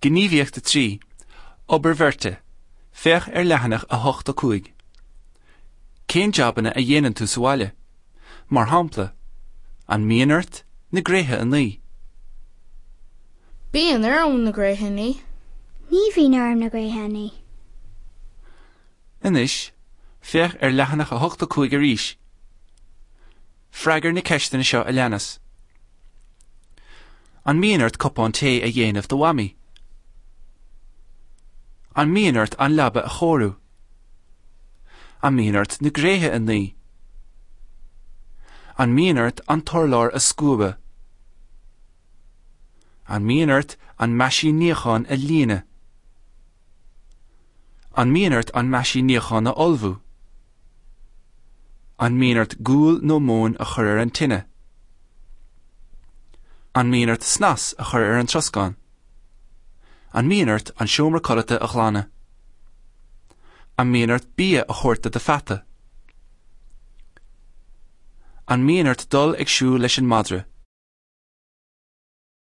Gníomhaíocht 3, Obair bheirte, Féach ar leathanach 8 5. Cén jabanna a dhéanann tú sa bhaile? Mar shampla, An mbíonn ort na gréithe a ní? Bíonn orm na gréithe a ní. Ní bhíonn orm na gréithe a ní. Anois, féach ar leathanach 8 5 arís. Freagair na ceisteanna seo a leanas. An mbíonn ort cupán tae a dhéanamh do Mhamaí? An mbíonn ort an leaba a chóiriú? An mbíonn ort na gréithe a ní? An mbíonn ort an t-urlár a scuabadh? An mbíonn ort an meaisín níocháin a líonadh? An mbíonn ort an meaisín níocháin a fholmhú? An mbíonn ort gual nó móin a chur ar an tine? An mbíonn ort snas a chur ar an troscán? An mbíonn ort an seomra codlata a ghlanadh? An mbíonn ort bia a thabhairt do do pheata? An mbíonn ort dul ag siúl leis an madra?